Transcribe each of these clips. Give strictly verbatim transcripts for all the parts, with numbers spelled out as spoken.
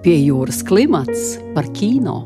Pie jūras klimats par kino.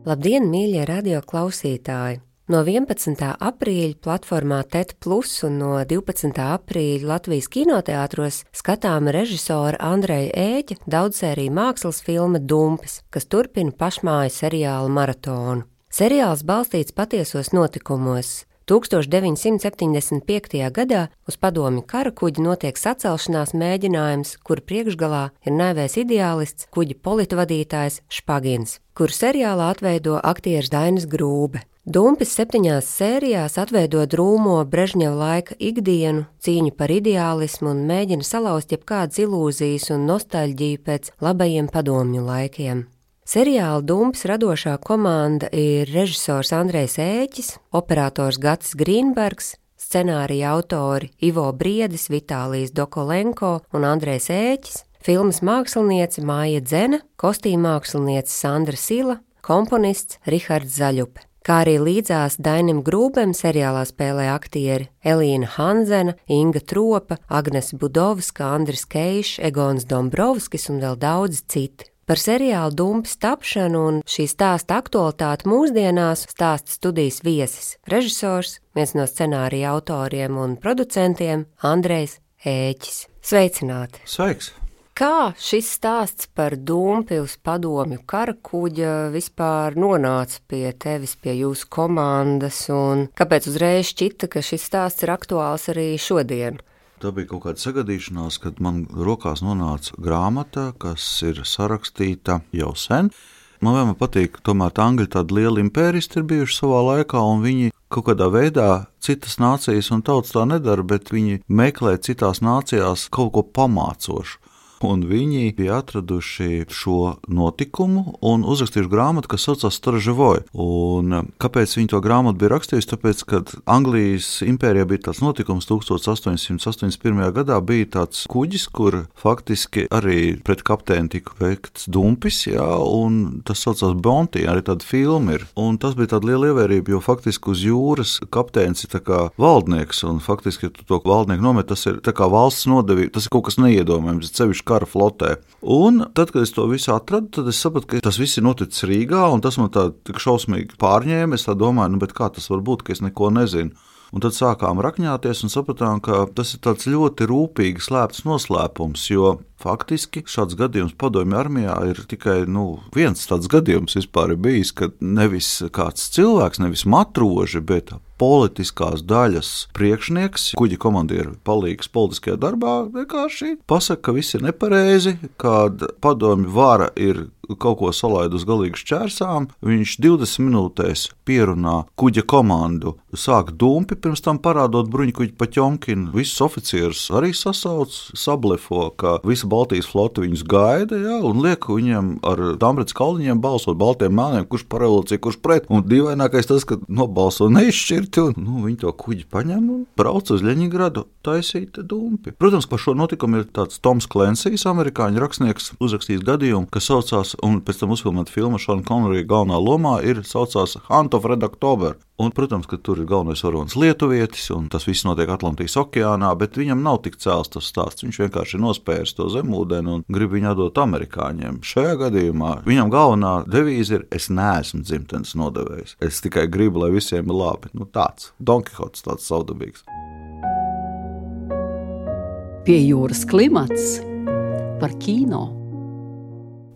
Labdien, mīļie radio klausītāji! No vienpadsmitā aprīļa platformā T E T plus un no divpadsmitā aprīļa Latvijas kinoteātros skatāma režisora Andreja Ēķa daudzsēriju mākslas filma Dumpis, kas turpina pašmāju seriāla maratonu. Seriāls balstīts patiesos notikumos. tūkstoš deviņsimt septiņdesmit piektajā gadā uz padomju karakuģa notiek sacelšanās mēģinājums, kur priekšgalā ir naivais ideālists kuģa politvadītājs Špagins, kuru seriālā atveido aktieris Dainis Grūbe. Dumpis septiņās sērijās atveido drūmo Brežņeva laika ikdienu, cīņu par ideālismu un mēģina salauzt jebkādas ilūzijas un nostalģiju pēc labajiem padomju laikiem. Seriāla Dumpis radošā komanda ir režisors Andrejs Ēķis, operators Gatis Grīnbergs, scenārija autori Ivo Briedis, Vitālijs Dokolenko un Andrejs Ēķis, filmas māksliniece Māja Dzene, kostīmmāksliniece Sandra Sila, komponists Rihards Zaļupe. Kā arī līdzās Dainim Grūbem seriālā spēlē aktieri Elīna Hanzena, Inga Tropa, Agnes Budovska, Andris Keišs, Egons Dombrovskis un vēl daudzi citi. Par seriālu Dumpis tapšanu un šī stāsta aktualitāti mūsdienās stāsta studijas viesis, režisors, viens no scenārija autoriem un producentiem Andrejs Ēķis. Sveicināti! Sveiks! Kā šis stāsts par Dumpi uz padomju karakuģa vispār nonāca pie tevis, pie jūsu komandas, un kāpēc uzreiz šķita, ka šis stāsts ir aktuāls arī šodien? Tā bija kaut kāda sagadīšanās, kad man rokās nonāca grāmata, kas ir sarakstīta jau sen. Man vienmēr patīk, tomēr tā angļi tādi lieli impēristi ir bijuši savā laikā, un viņi kaut kādā veidā citas nācijas un tautas tā nedara, bet viņi meklē citās nācijās kaut ko pamācošu. Un viņi bija atraduši šo notikumu un uzrakstījuši grāmatu, kas saucās Storževoj. Un kāpēc viņi to grāmatu bija rakstījuši? Tāpēc, kad Anglijas impērijā bija tāds notikums tūkstoš astoņsimt astoņdesmit pirmajā gadā, bija tāds kuģis, kur faktiski arī pret kapteini tika veikts dumpis, jā, un tas saucās Bounty, arī tāda filma ir. Un tas bija tāda liela ievērība, jo faktiski uz jūras kapteinis ir tā kā valdnieks, un faktiski, ja tu to valdnieku nomet, tas ir tā kā valsts nodevība, tas ir kaut kas neiedomājams, sevišķi kara flotē. Un tad, kad es to visu atradu, tad es sapratu, ka tas viss ir noticis Rīgā, un tas man tā tik šausmīgi pārņēma. Es tā domāju, nu, bet kā tas var būt, ka es neko nezinu. Un tad sākām rakņāties un sapratām, ka tas ir tāds ļoti rūpīgi slēpts noslēpums, jo faktiski šāds gadījums padomju armijā ir tikai nu, viens tāds gadījums vispār ir bijis, kad nevis kāds cilvēks, nevis matroži, bet politiskās daļas priekšnieks, kuģa komandieru palīgs politiskajā darbā, vienkārši pasaka, ka viss ir nepareizi, kad padomju vara ir kaut ko salaid uz galīgu šķērsām, viņš divdesmit minūtēs pierunā kuģa komandu, sāk dumpi, pirms tam parādot bruņkuģi Paķomkinu, visus oficierus arī sasauc, sablefo, ka visa Baltijas flote viņus gaida, jā, un liek viņiem ar Dambrets kalniņiem balsot baltiem mēliem, kurš par revolūciju, kurš pret, un dīvainākais tas, ka nobalso neizšķirti, un nu, viņi to kuģi paņem un brauc uz Ļeņingradu taisīt dumpi. Protams, par šo notikumu ir tāds Toms Klensijs, amerikāņu rakstnieks, uzrakstījis gadījumu, kas saucās, un pēc tam uzfilmēta filma Šona Konnerija galvenā lomā ir saucās Hunt of Red October. Un, protams, ka tur ir galvenais varonis lietuvietis, un tas viss notiek Atlantijas okeānā, bet viņam nav tik cēls tas stāsts. Viņš vienkārši nospērs to zemūdeni un grib viņu atdot amerikāņiem. Šajā gadījumā viņam galvenā devīze ir: es neesmu dzimtenes nodevējs. Es tikai gribu, lai visiem ir labi. Nu tāds, Don Kihots tāds savdabīgs. Pie jūras klimats par kino.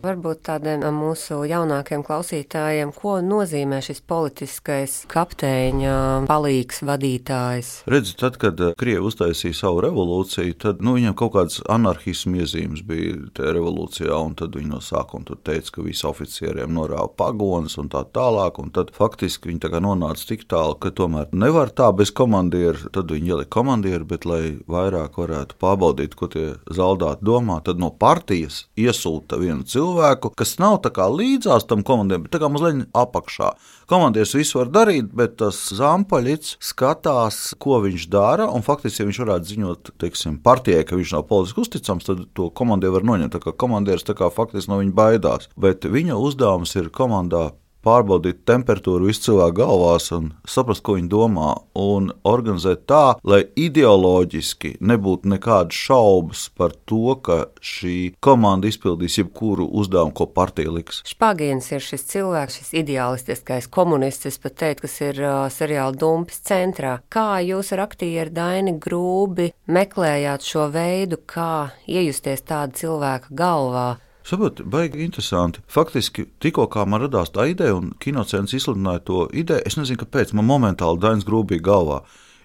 Varbūt tādiem mūsu jaunākiem klausītājiem, ko nozīmē šis politiskais kapteiņa palīgs vadītājs? Redzi, tad, kad Krievi uztaisīja savu revolūciju, tad nu, viņiem kaut kāds anarhismu iezīmes bija tajā revolūcijā, un tad viņi no sākuma tur teica, ka visi oficieriem norāva pagonas un tā tālāk, un tad faktiski viņi tā kā nonāca tik tālu, ka tomēr nevar tā bez komandieru, tad viņi ielika komandieru, bet lai vairāk varētu pārbaudīt, ko tie zaldāti domā, tad no partijas iesūta vienu cilvēku, cilvēku, kas nav tā kā līdzās tam komandierim, bet tā kā mazliet apakšā. Komandieris visu var darīt, bet tas zampaļits skatās, ko viņš dara, un faktiski, ja viņš varētu ziņot, teiksim, partijai, ka viņš nav politiski uzticams, tad to komandieru var noņemt, tā kā komandieris tā kā faktiski no viņa baidās. Bet viņa uzdevums ir komandā pārbaudīt temperatūru visu cilvēku galvās un saprast, ko viņi domā, un organizēt tā, lai ideoloģiski nebūtu nekādas šaubas par to, ka šī komanda izpildīs jebkuru uzdevumu, ko partija liks. Špagins ir šis cilvēks, šis ideālistiskais komunists, es pat teiktu, kas ir uh, seriāla Dumpis centrā. Kā jūs ar aktieru Daini Grūbi meklējāt šo veidu, kā iejusties tāda cilvēka galvā? Saprot, baigi interesanti. Faktiski, tikko kā man radās tā ideja un kinocēns izsludināja to ideju, es nezinu, kāpēc man momentāli Dainis Grūbi bija galvā,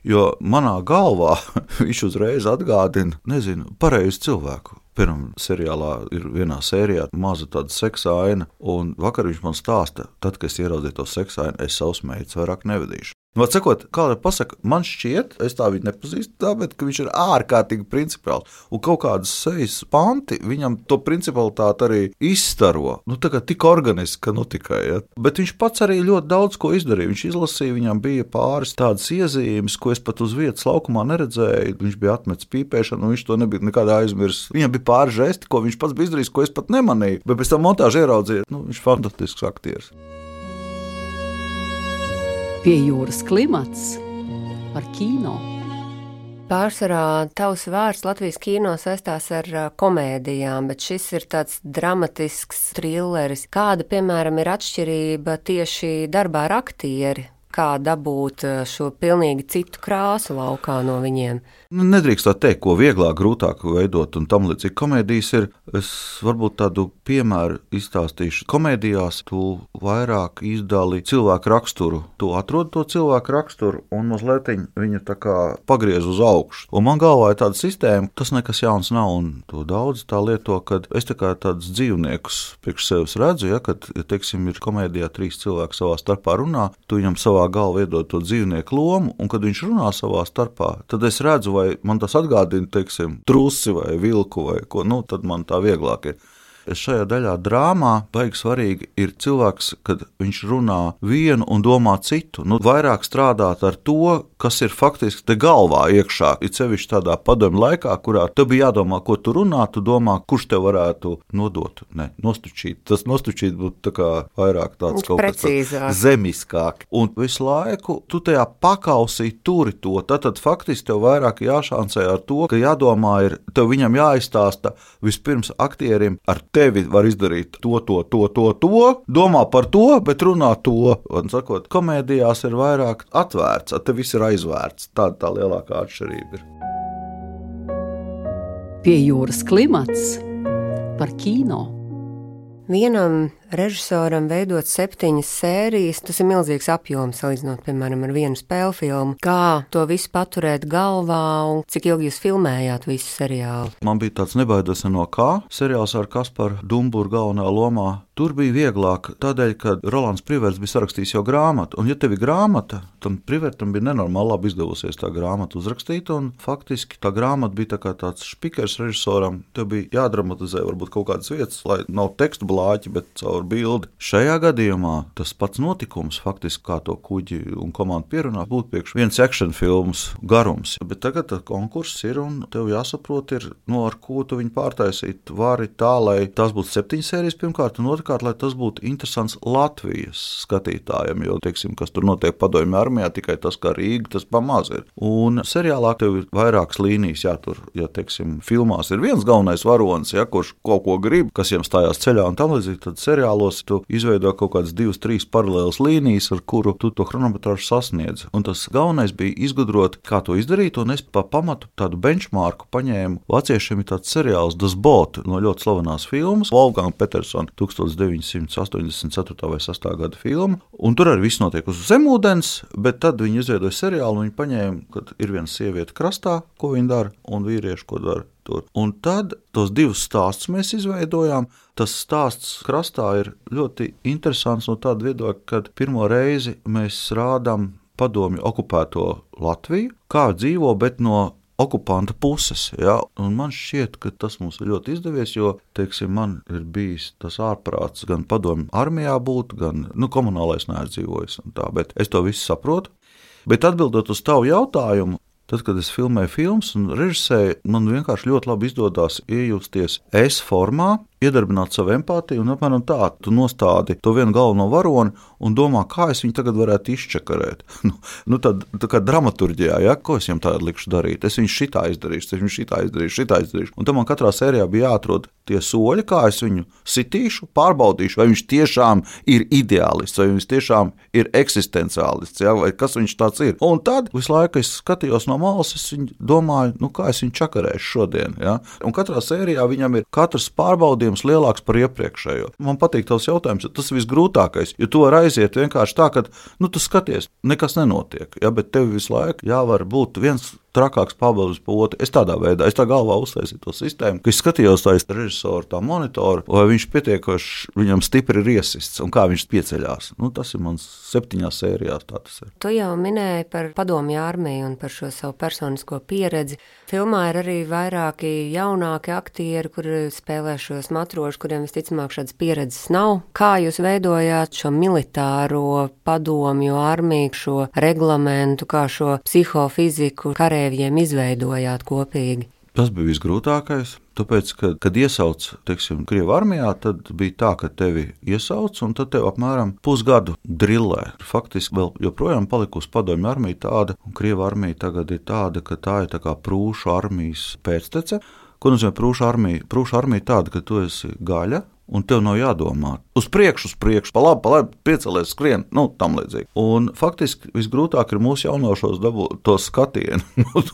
jo manā galvā viņš uzreiz atgādina, nezinu, pareizu cilvēku. Pirmā seriālā ir vienā sērijā maza tāda seksa aina, un vakar viņš man stāsta, tad, kad es ieraudzīju to seksa ainu, es savus meitas vairāk nevedīšu. Vāt sakot, kāda pasaka, man šķiet, es tā viņu nepazīstu tā, bet ka viņš ir ārkārtīgi principiāls, un kaut kādas sejas panti viņam to principalitāti arī izstaro, nu tā kā tik organiski, ka nu tikai, ja. Bet viņš pats arī ļoti daudz ko izdarīja, viņš izlasīja, viņam bija pāris tādas iezīmes, ko es pat uz vietas laukumā neredzēju, viņš bija atmetis pīpēšanu, un viņš to nebija nekādā aizmirs. Viņam bija pāris žesti, ko viņš pats bija izdarījis, ko es pat nemanīju, bet pēc tam montāžu ieraudzīju, nu viņš fantastisks aktieris. Pie jūras klimats par kino. Pārsvarā tavs vārds Latvijas kino saistās ar komēdijām, bet šis ir tāds dramatisks trilleris. Kāda, piemēram, ir atšķirība tieši darbā ar aktieri? Kā dabūt šo pilnīgi citu krāsu laukā no viņiem? Nedrīkst tā teikt, ko vieglāk, grūtāk veidot un tam līdzīgi. Komēdijas ir, es varbūt tādu piemēru izstāstīšu. Komēdijās tu vairāk izdali cilvēku raksturu. Tu atrod to cilvēku raksturu un mazliet viņu tā kā pagriez uz augšu. Un man galvā ir tāda sistēma, tas nekas jauns nav, un to daudz tā lieto, kad es tā kā tādus dzīvniekus priekš sevis redzu, ja, kad, ja, teiksim, ir komēdijā trīs cilvēki savā starpā runā, tu viņam savā galvā iedod to dzīvnieku lomu, un kad viņš runā savā starpā, tad es redzu, vai man tas atgādina, teiksim, trusi vai vilku vai ko, nu, tad man tā vieglāk ir. Šajā daļā drāmā baigi svarīgi ir cilvēks, kad viņš runā vienu un domā citu. Nu, vairāk strādāt ar to, kas ir faktiski te galvā iekšā. Ir sevišķi tādā padomju laikā, kurā tev bija jādomā, ko tu runā, tu domā, kurš tev varētu nodot. Ne, nostučīt. Tas nostučīt būtu tā kā vairāk tāds kaut kas tāds zemiskāk. Un visu laiku tu tajā pakausī turi to. Tātad faktiski tev vairāk jāšancē ar to, ka jādomā ir, tev viņam jāizstāsta vispirms aktierim ar tevi var izdarīt to, to, to, to, to, domā par to, bet runā to. Un sakot, komēdijās ir vairāk atvērts, te viss ir aizvērts. Tāda tā lielākā atšķirība ir. Pie jūras klimats par kino. Vienam režisoram veidot septiņas sērijas, tas ir milzīgs apjoms, salīdzinot, piemēram, ar vienu spēļu filmu. Kā to visu paturēt galvā un cik ilgi jūs filmējāt visu seriālu? Man bija tāds Nebaidos no kā seriāls ar Kasparu Dumburu galvenā lomā. Tur bija vieglāk tādēļ, ka Rolands Priverts bija sarakstījis jau grāmatu, un ja tev ir grāmata, tam Privertam bija nenormāli labi izdevusies tā grāmata uzrakstīt, un faktiski tā grāmata bija tā kā tāds špikers režisoram, tev bija jādramatizē varbūt kaut kādas vietas, lai nav tekstu blāķi, bet caur bildi. Šajā gadījumā tas pats notikums, faktiski kā to kuģi un komandu pierunā, būtu priekš viens action filmas garums, bet tagad konkurss ir, un tev jāsaprot ir, no ar ko tu viņu pārtaisīt vari tā, lai tās būtu septiņas sērijas pirmkārt, un otrkārt, lai tas būtu interesants Latvijas skatītājiem, jo, teiksim, kas tur notiek padomju armijā, tikai tas, kā Rīga, tas pamaz ir. Un seriālā tev ir vairākas līnijas jātur, ja, teiksim, filmās ir viens galvenais varonis, ja, kurš kaut ko grib, kas jiem stājās ceļā un tam līdzīgi, tad seriālos tu izveido kaut kādas divas, trīs paralēlas līnijas, ar kuru tu to chronometrāžu sasniedz. Un tas galvenais bija izgudrot, kā to izdarīt, un es pa pamatu tādu benchmarku paņēmu. Vāciešiem ir tāds seriāls Das Boot no ļoti slavenās filmas, Wolfgang Peterson, deviņsimt astoņdesmit ceturtā vai sastā gada filma, un tur arī viss notiek uz zemūdens, bet tad viņi izveidoja seriālu, un viņi paņēma, kad ir viena sieviete krastā, ko viņi dara, un vīrieši, ko dara tur. Un tad tos divus stāstus mēs izveidojām. Tas stāsts krastā ir ļoti interesants no tāda viedokļa, kad pirmo reizi mēs rādām padomju okupēto Latviju, kā dzīvo, bet no okupanta puses, ja? Un man šķiet, ka tas mums ir ļoti izdevies, jo, teiksim, man ir bijis tas ārprāts gan padomju armijā būt, gan, nu, komunālais neaizdzīvojis un tā, bet es to visu saprotu. Bet atbildot uz tavu jautājumu, tad, kad es filmēju filmas un režisēju, man vienkārši ļoti labi izdodās iejusties es formā. iedarbināt savu empātiju, un apmēram tā, tu nostādi to vienu galveno varoni un domā, kā es viņu tagad varētu izčakarēt. nu, nu tad, tā kā dramaturģijā, ja, ko es viņam tādu likšu darīt, es viņu šitā izdarīšu, es viņu šitā izdarīšu, šitā izdarīšu. Un tam man katrā sērijā bija jāatrod tie soļi, kā es viņu sitīšu, pārbaudīšu, vai viņš tiešām ir ideālists, vai viņš tiešām ir eksistenciālists, ja, vai kas viņš tāds ir. Un tad visu laiku es skatījos no malas, es viņu domāju, nu kā es viņu čakarēšu šodien. Ja? Un katrā sērijā viņam ir katrs pārbaudījums lielāks par iepriekšējo. Man patīk tavs jautājums, tas ir visgrūtākais, jo tu vari aiziet vienkārši tā, ka nu, tu skaties, nekas nenotiek, ja? Bet tev visu laiku jāvar būt viens trakāks pabalus pa otru. Es tādā veidā, es tā galvā uztaisīju to sistēmu, ka es skatījos tā režisoru tā monitoru, vai viņš pietiekoši viņam stipri ir iesists un kā viņš pieceļās. Nu, tas ir mans septiņās sērijās, tā tas ir. Tu jau minēji par padomju armiju un par šo savu personisko pieredzi. Filmā ir arī vairāki jaunāki aktieri, kuri spēlē šos matrošus, kuriem visticamāk šādas pieredzes nav. Kā jūs veidojāt šo militāro padomju armiju, šo reglamentu, kā šo psihofiziku karēvjiem izveidojāt kopīgi? Tas bija visgrūtākais, tāpēc, ka, kad iesauc, teiksim, Krievu armijā, tad bija tā, ka tevi iesauc, un tad tev apmēram pusgadu drillē. Faktiski vēl joprojām palikusi padomju armija tāda, un Krievu armija tagad ir tāda, ka tā ir tā kā prūšu armijas pēctece. Ko nozīmē prūšu armija? Prūšu armija tāda, ka tu esi gaļa, un tev nav jādomā. Uz priekšu, uz priekšu, pa labi, pa labi, piecelies, skrien, nu, tam līdzīgi. Un faktiski visgrūtāk ir mūsu jaunošos dabūt to skatienu.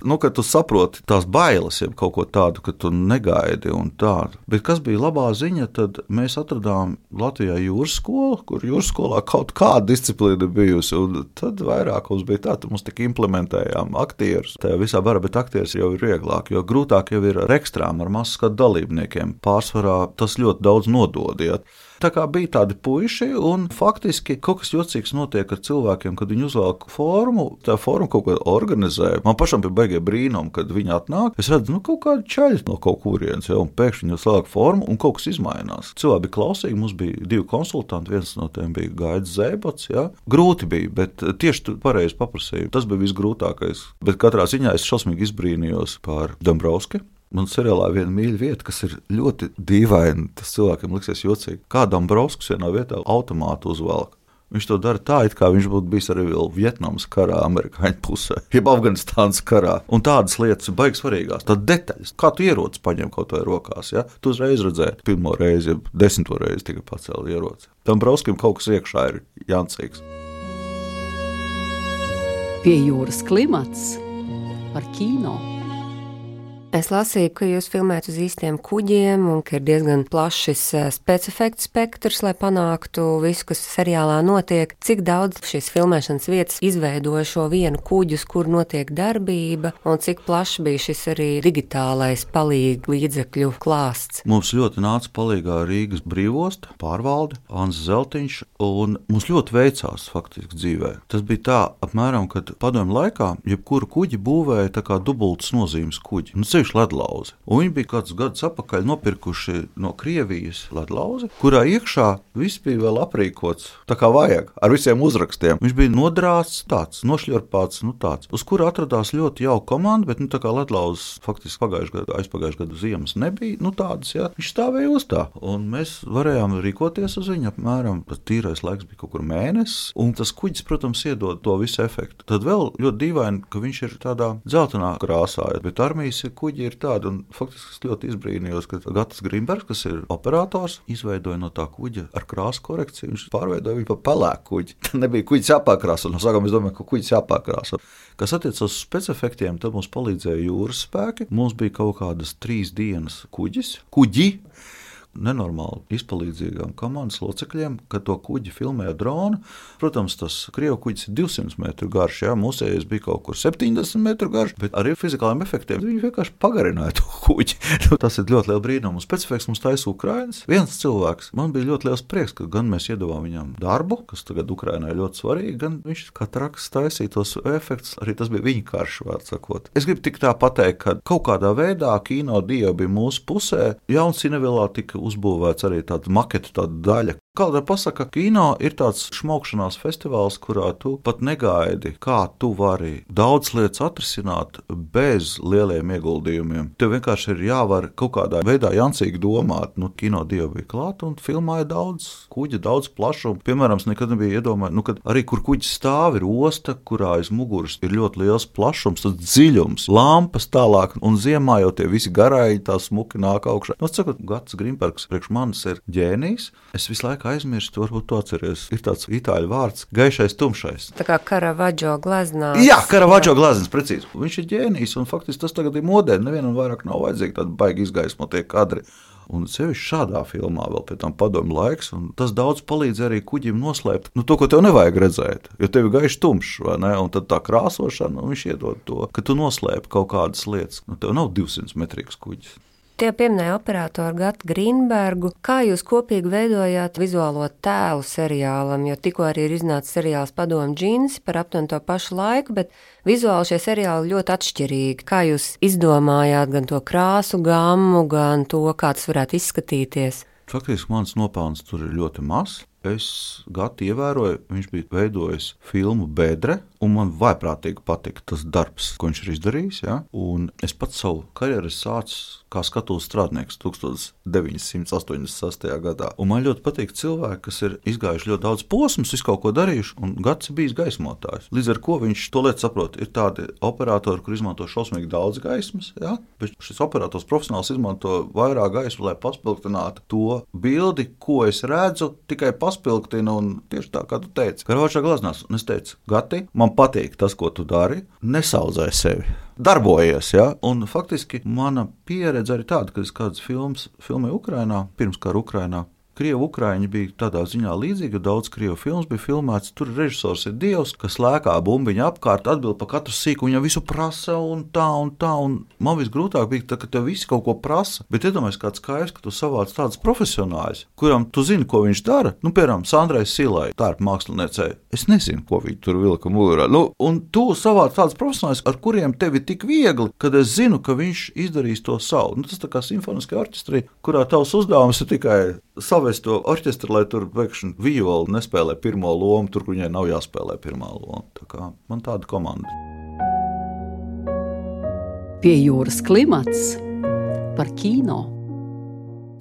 nu, kad tu saproti tās bailes, jeb kaut ko tādu, ka tu negaidi un tādu. Bet kas bija labā ziņa, tad mēs atradām Latvijā jūras skolu, kur jūras skolā kaut kāda disciplīna bijusi, un tad vairāk mums bija tā, tad mums tik implementējām aktierus. Tajā visā bara, bet aktieris jau ir vieglāk, jo grūtāk jau ir ar ekstrām, ar masu skatu dalībniekiem. Pārsvarā tas ļoti daudz nododiet. Tā kā bija tādi puiši, un faktiski kaut kas jocīgs notiek ar cilvēkiem, kad viņi uzvelk formu, tā forma kaut ko organizē. Man pašam bija baigie brīnumi, kad viņi atnāk. Es redzu, nu, kaut kādi čaļi no kaut kurienes, ja, un pēkšņi viņi uzvelk formu, un kaut kas izmainās. Cilvēki bija klausīgi, mums bija divi konsultanti, viens no tiem bija Gaidis Zēbots, ja. Grūti bija, bet tieši tu pareizi paprasīji. Tas bija visgrūtākais. Bet katrā ziņā es šausmīgi izbrīnījos par Dombrovski. Man seriālā ir viena mīļa vieta, kas ir ļoti dīvaina. Tas cilvēkiem liksies jocīgi. Kā Dombrovskis vienā vietā automātu uzvelk. Viņš to dara tā, it kā viņš būtu bijis arī vēl Vietnamas karā, amerikāņu pusē, jeb Afganistānas karā. Un tādas lietas ir baigi svarīgās. Tad detaļas, kā tu ieroci paņem kaut vai rokās, ja? Tu uzreiz redzēji, pirmo reizi, jeb desmito reizi tikai pacēli ieroci. Dombrovskim kaut kas iekšā ir jancīgs. Pie jūras klimats par kino. Es lasīju, ka jūs filmējat uz īstiem kuģiem un ka ir diezgan plašs specifektu spektrs, lai panāktu visu, kas seriālā notiek. Cik daudz šīs filmēšanas vietas izveidoja šo vienu kuģus, kur notiek darbība, un cik plašs bija šis arī digitālais palīg līdzekļu klāsts? Mums ļoti nāca palīgā Rīgas brīvosta pārvalde, Ants Zeltiņš, un mums ļoti veicās faktiski dzīvē. Tas bija tā, apmēram, kad padomju laikā jebkuru kuģi būvēja tā kā dubultas nozīmes kuģi. Un ledlauzi. Un viņi bija kādus gadus atpakaļ nopirkuši no Krievijas ledlauzi, kurā iekšā viss bija vēl aprīkots tā kā vajag, ar visiem uzrakstiem. Viņš bija nodrāts tāds, nošļorpāts, nu tāds, uz kura atradās ļoti jauka komanda, bet nu tā kā ledlauzes faktiski pagājušajā gadu, aizpagājušajā gadu ziemas nebija, nu tādas, jā, viņš stāvēja uz tā. Un mēs varējām rīkoties uz viņu apmēram, tas tīrais laiks bija kaut kur mēnesis, un tas kuģis, protams, iedod to visu efektu. Tad vēl ļoti dīvaini, ka viņš ir tādā dzeltenā krāsā, bet armijas kuģi ir tāda, un faktiski es ļoti izbrīnījos, ka Gatis Grimbergs, kas ir operators, izveidoja no tā kuģa ar krāsu korekciju, viņš pārveidoja viņu pa pelēku kuģi. Tā nebija kuģis jāpārkrāso, no sākuma es domāju, ka kuģis jāpārkrāso. Kas attiecas uz specifektiem, tad mums palīdzēja jūras spēki. Mums bija kaut kādas trīs dienas kuģis, kuģi, nenormāli izpalīdzīgām komandas locekļiem, kad to kuģi filmēja dronu. Protams, tas Krievu kuģis ir divsimt metru garš, jā, mūsējais bija kaut kur septiņdesmit metru garš, bet ar fizikāliem efektiem viņi vienkārši pagarināja to kuģi. Tas ir ļoti liela brīnuma. Specifiks mums taisa Ukrainas. Viens cilvēks, man bija ļoti liels prieks, ka gan mēs iedavām viņam darbu, kas tagad Ukrainai ļoti svarīgi, gan viņš kā traks taisīja tos efektus, arī tas bija viņa karš, vārds sakot. Es gribu tik tā pateikt, ka kaut kādā veidā kino dieva bija mūsu pusē. Jaunsinevilā tika uzbūvēts arī tāda maketa, tāda daļa, Kādreiz pasaka, ka kino ir tāds šmaukšanās festivāls, kurā tu pat negaidi, kā tu vari daudz lietas atrisināt bez lieliem ieguldījumiem. Tev vienkārši ir jāvar kaut kādā veidā jancīgi domāt. Nu, kino dievi bija klāt un filmāja daudz kuģa, daudz plašumu. Piemēram, es nekad nebiju iedomājis, nu, kad arī kur kuģis stāv ir osta, kurā aiz muguras ir ļoti liels plašums, tas dziļums, lampas tālāk un ziemā jau tie visi garāji tā smuki nāk augšā. Nu, sakot, Gats Grimbergs priekš manis ir ģēnijs. Es visu laiku aizmirstu, varbūt to atceries. Ir tāds itāļu vārds - gaišais, tumšais. Tā kā Karavadžo gleznās. Jā, Karavadžo gleznas, precīzi. Viņš ir ģēnijs, un faktiski tas tagad ir modē. Nevienam vairāk nav vajadzīgi tādi baigi izgaismotie kadri. Un sevišķi šādā filmā vēl pēc tam padomju laiks, un tas daudz palīdz arī kuģim noslēpt nu, to, ko tev nevajag redzēt, jo tev ir gaiši tumšs, vai ne? Un tad tā krāsošana, un viņš iedod to, ka tu noslēp kaut kādas lietas. Nu, tev nav divsimt metrīgs kuģis. Tie pieminēja operatoru Gatu Grīnbergu. Kā jūs kopīgi veidojāt vizuālo tēlu seriālam, jo tikko arī ir iznācis seriāls Padomju džinsi par aptuveni to pašu laiku, bet vizuāli šie seriāli ļoti atšķirīgi. Kā jūs izdomājāt gan to krāsu gammu, gan to, kā tas varētu izskatīties? Faktiski mans nopelns tur ir ļoti mazs. Es Gatu ievēroju, viņš bija veidojis filmu Bedre, un man vaiprātīgi patika tas darbs, ko viņš ir izdarījis. Ja? Un es pats savu karjeru sācu kā skatuves strādnieks deviņdesmit astoņdesmit sestajā gadā. Un man ļoti patīk cilvēki, kas ir izgājuši ļoti daudz posmus, visu kaut ko darījuši, un Gats ir bijis gaismotājs. Līdz ar ko viņš to lietu saprot. Ir tādi operatori, kur izmanto šausmīgi daudz gaismas, ja? Bet šis operators profesionāls izmanto vairāk gaismu, lai paspilgtinātu to bildi, ko es redzu, tikai paspilgtina, un tieši tā, kā tu teici. Karavadžo gleznās, un es teicu, Gati, man patīk tas, ko tu dari, nesaudzē sevi. Darbojies, ja? Un faktiski mana pieredze arī tāda, ka es kādas filmas filmēju Ukrainā, pirms kara Ukrainā. Krievu Ukraiņi bija tādā ziņā līdzīga, daudz krievu filmas bija filmēts, tur režisors ir dievs, kas lēkā bumbiņa apkārt, atbild pa katru sīku, viņam visu prasa un tā un tā, un man visgrūtāk bija tā, ka tev visi kaut ko prasa, bet iedomājies kāds skaidrs, ka tu savāc tādas profesionāļus, kuram tu zini, ko viņš dara, nu, piemēram, Sandrai Silai, tērpa māksliniecei, es nezinu, ko viņi tur vilka mugurā, nu, un tu savāc tādas profesionāļus, ar kuriem tev ir tik viegli, kad es zinu, ka viņš izdarīs to savu, nu, tas tā kā simfoniskajā orķestrī, kurā tavs uzdevums ir tikai savest to orķestru, lai tur pēkšņi viola nespēlē pirmo lomu, tur, kur viņai nav jāspēlē pirmā loma. Tā kā man tāda komanda. Pie jūras klimats par kino.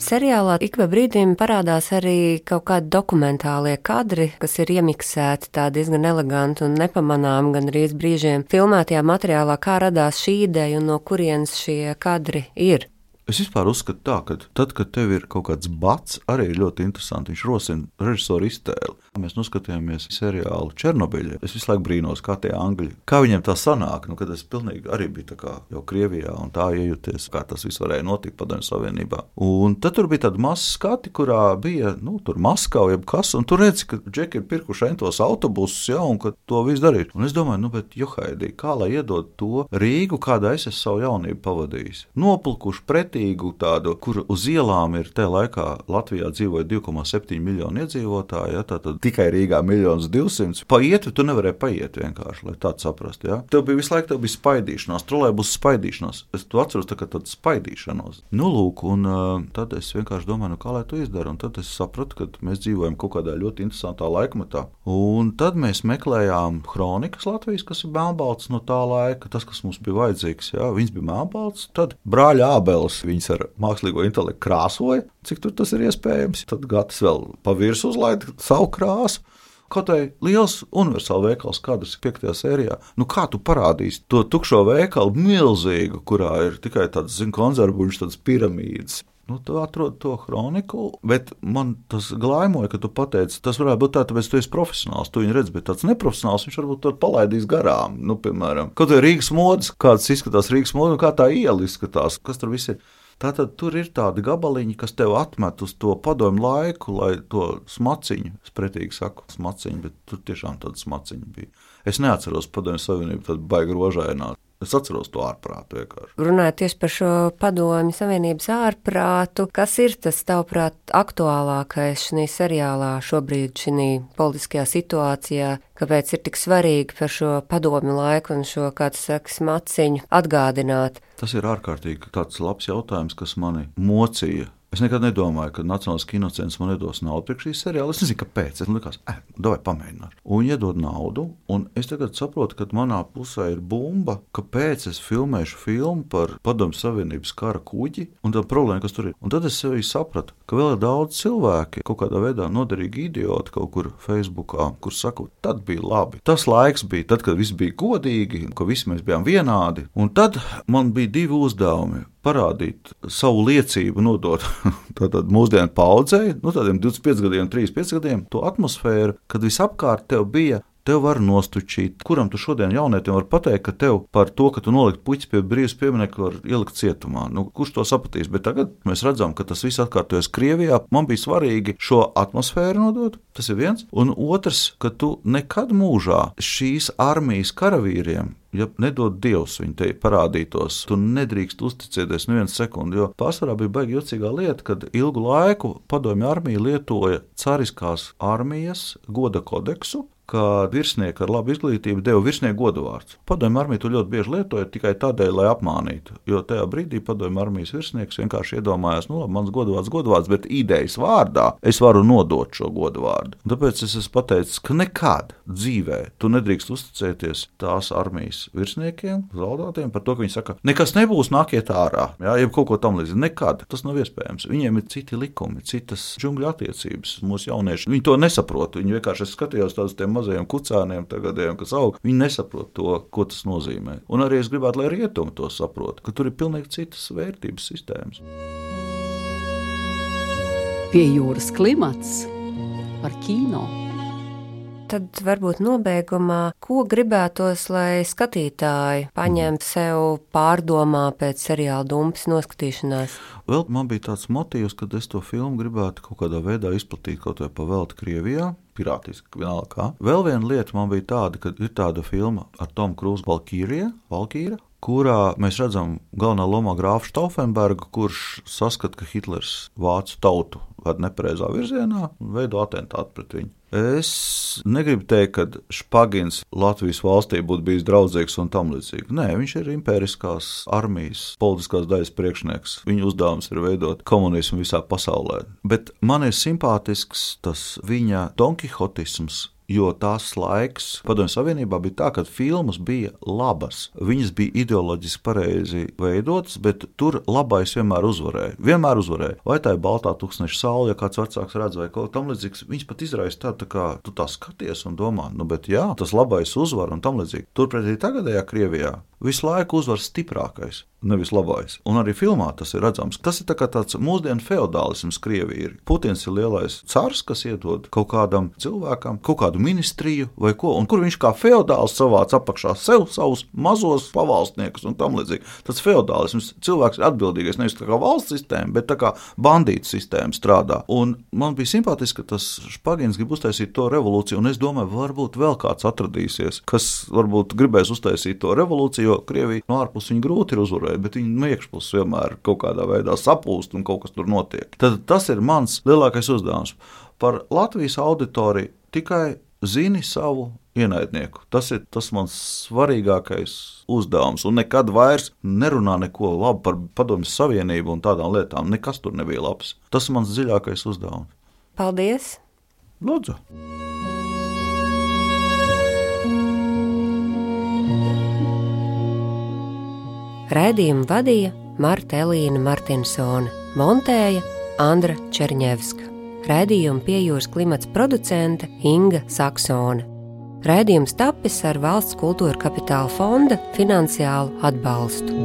Seriālā ik pa brīdim parādās arī kaut kādi dokumentālie kadri, kas ir iemiksēti tā diezgan eleganti un nepamanām, gan arī brīžiem filmētajā materiālā, kā radās šī ideja un no kurienes šie kadri ir. Es vispār uzskatu tā, ka tad, kad tev ir kaut kāds bats, arī ir ļoti interesanti. Viņš rosina režisoru iztēli. Mēs noskatījāmies seriālu Černobiļa. Es visu laiku brīnos, kā tie angļi, kā viņiem tā sanāk, nu, kad es pilnīgi arī biju tā kā jau Krievijā un tā iejūties, kā tas viss varēja notikt Padomju Savienībā. Un tad tur bija tāda masa skati, kurā bija, nu, tur Maskava, jeb kas, un tur redzi, ka džeki ir pirkuši entos autobusus, ja, un ka to visu darīt. Un es domāju, nu, bet johaidī, kā lai iedod to Rīgu, kādā es esmu savu jaunību pavadījis. Nopulkuši pretī tādu, kur uz ielām ir tajā laikā Latvijā dzīvoja divi komā septiņi miljoni iedzīvotāji, ja, tātad tikai Rīgā miljonus divsimts. Pa ietvi tu nevarēji paiet vienkārši, lai tādu saprast. Ja. Tev bija visu laiku, tev bija spaidīšanās, trolejbusu spaidīšanās. Es to atceros tā kā tādu spaidīšanos. Nu, lūk, un uh, tad es vienkārši domāju, nu, kā lai to izdaru, un tad es sapratu, ka mēs dzīvojam kaut kādā ļoti interesantā laikmetā. Un tad mēs meklējām kronikas Latvijas, kas ir melnbalts no tā laika, tas, kas mums bija vajadzīgs, ja, viņas bija melnbalts, tad brāļa Ābeles viņas ar mākslīgo intelektu krāsoja, cik tur tas ir iespējams. Tad Gatis vēl pa virsu uzlaida savu krāsu. Kaut arī liels universāla veikals kadrs ir piektajā sērijā. Nu kā tu parādīsi to tukšo veikalu milzīgu, kurā ir tikai tāds, zin, konzervuļš, tāds piramīdas. Nu, tu atrod to kroniku, bet man tas glaimoja, ka tu pateici, tas varētu būt tā, tāpēc tu esi profesionāls, tu viņu redz, bet tāds neprofesionāls, viņš varbūt to palaidīs garām. Nu, piemēram, kaut vai Rīgas modes, kāds izskatās Rīgas modes, un kā tā iela izskatās, kas tur viss ir. Tātad tur ir tādi gabaliņi, kas tev atmet uz to padomju laiku, lai to smaciņu, es pretīgi saku smaciņu, bet tur tiešām tāda smaciņa bija. Es neatceros Padomju Savienību tādu baigi rožainā. Es atceros to ārprātu vienkārši. Runājot tieši par šo Padomju Savienības ārprātu, kas ir tas, tavuprāt, aktuālākais šī seriālā šobrīd, šī politiskajā situācijā, kāpēc ir tik svarīgi par šo padomju laiku un šo, kā tu saki, smaciņu atgādināt? Tas ir ārkārtīgi tāds labs jautājums, kas mani mocīja Es nekad nedomāju, ka Nacionālais kinocentrs man iedos naudu priekš šī seriāla. Es nezinu, kāpēc. Es likās, eh, davai pamēģināt. Un iedod naudu, un es tagad saprotu, ka manā pusē ir bumba, kāpēc es filmēšu filmu par Padomju Savienības kara kuģi un tā problēma, kas tur ir. Un tad es sevī sapratu, ka vēl ir daudz cilvēki, kaut kādā veidā noderīgi idioti kaut kur Facebookā, kur saku, tad bija labi. Tas laiks bija tad, kad viss bija godīgi, ka visi mēs bijām vienādi. Un tad man bija divi uzdevumi. Parādīt savu liecību, nodot tātad mūsdienu paudzei, nu tādiem divdesmit pieci gadiem, trīsdesmit pieci gadiem, to atmosfēru, kad visapkārt tev bija, tev var nostučīt. Kuram tu šodien jaunietim var pateikt, ka tev par to, ka tu nolikt puķis pie brīvas pieminekļa, var ielikt cietumā? Nu, kurš to sapratīs? Bet tagad mēs redzam, ka tas viss atkārtojas Krievijā. Man bija svarīgi šo atmosfēru nodot, tas ir viens. Un otrs, ka tu nekad mūžā šīs armijas karavīriem, ja nedod Dievs viņi te parādītos, tu nedrīkst uzticēties nevienu sekundi, jo pārsvarā bija baigi jocīgā lieta, kad ilgu laiku Padomju armija lietoja cariskās armijas goda kodeksu, ka virsnieki ar labu izglītību deva virsnieku godavārds. Padomju armija to ļoti bieži lietoja tikai tādēļ, lai apmānītu, jo tajā brīdī Padomju armijas virsnieks vienkārši iedomājās, nu labi, mans godavārds godavārds, bet idejas vārdā es varu nodot šo godavārdu. Tāpēc es esmu pateicis, ka nekad dzīvē tu nedrīkst uzticēties tās armijas virsniekiem, zaldātiem par to, ka viņi saka, nekas nebūs, nākiet ārā, jā, jeb kaut ko tam līdzi. Nekad tas nav iespējams. Viņiem ir citi likumi, citas džungļu attiecības. Mūsu jaunieši, viņi to nesaprot. Viņi vienkārši es skatījos tādus tiem mazajiem kucēniem, tagadiem, kas aug, viņi nesaprot to, ko tas nozīmē. Un arī es gribētu, lai rietumi to saprot, ka tur ir pilnīgi citas vērtības sistēmas. Pie jūras klimats par kino. Tad varbūt nobeigumā, ko gribētos, lai skatītāji paņemtu sev pārdomā pēc seriāla Dumpas noskatīšanās? Vēl man bija tāds motīvs, kad es to filmu gribētu kaut kādā veidā izplatīt kaut vai pa velti Krievijā, pirātiski vienalga kā. Vēl viena lieta man bija tāda, ka ir tāda filma ar Tomu Krūzu Valkīrija, Valkīra, kurā mēs redzam galvenā lomā grāfu Stauffenbergu, kurš saskat, ka Hitlers vācu tautu ved nepareizā virzienā un veido atentātu pret viņu. Es negribu teikt, ka Špagins Latvijas valstī būtu bijis draudzīgs un tam līdzīgi. Nē, viņš ir impēriskās armijas politiskās daļas priekšnieks. Viņa uzdevums ir veidot komunismu visā pasaulē. Bet man ir simpātisks tas viņa donkihotisms, jo tās laiks Padomju Savienībā bija tā, ka filmas bija labas. Viņas bija ideoloģiski pareizi veidotas, bet tur labais vienmēr uzvarēja. Vienmēr uzvarēja. Vai tā ir baltā tūkstneša saule, ja kāds vecāks redz vai kaut tam līdzīgs, viņas pat izraisa tā, tā kā tu tā skaties un domā, nu bet jā, tas labais uzvar un tam līdzīgi. Turpretī tagadējā Krievijā visu laiku uzvar stiprākais, nevis labais. Un arī filmā tas ir redzams. Tas ir tā kā tāds mūsdienu feodālisms Krievija. Putins ir lielais cars, kas iedod kaut kādam cilvēkam, kaut kādu ministriju vai ko, un kur viņš kā feodāls savāc apakšā sev savus mazos pavalstniekus un tam līdzīgi. Tas feodālisms, cilvēks ir atbildīgais nevis tā kā valsts sistēma, bet tā kā bandītu sistēma strādā. Un man bija simpātiski, ka tas Špagins grib uztaisīt to revolūciju, un es domāju, varbūt vēl kāds atradīsies, kas varbūt gribēs uztaisīt to revolūciju, jo Krievija no ārpus viņa grūti ir uzvarēt, bet viņa no iekšpus vienmēr kaut kādā veidā sapūst un kaut kas tur notiek. Tad tas ir mans lielākais uzdevums. Par Latvijas auditoriju tikai zini savu ienaidnieku. Tas ir tas mans svarīgākais uzdevums. Un nekad vairs nerunā neko labu par Padomju Savienību un tādām lietām. Nekas tur nebija labs. Tas ir mans dziļākais uzdevums. Paldies! Lūdzu! Raidījumu vadīja Marta Elīna Martinsone, montēja Andra Čerņevska. Raidījumu Pie jūras klimats producente Inga Saksone. Raidījums tapis ar Valsts kultūra kapitāla fonda finansiālu atbalstu.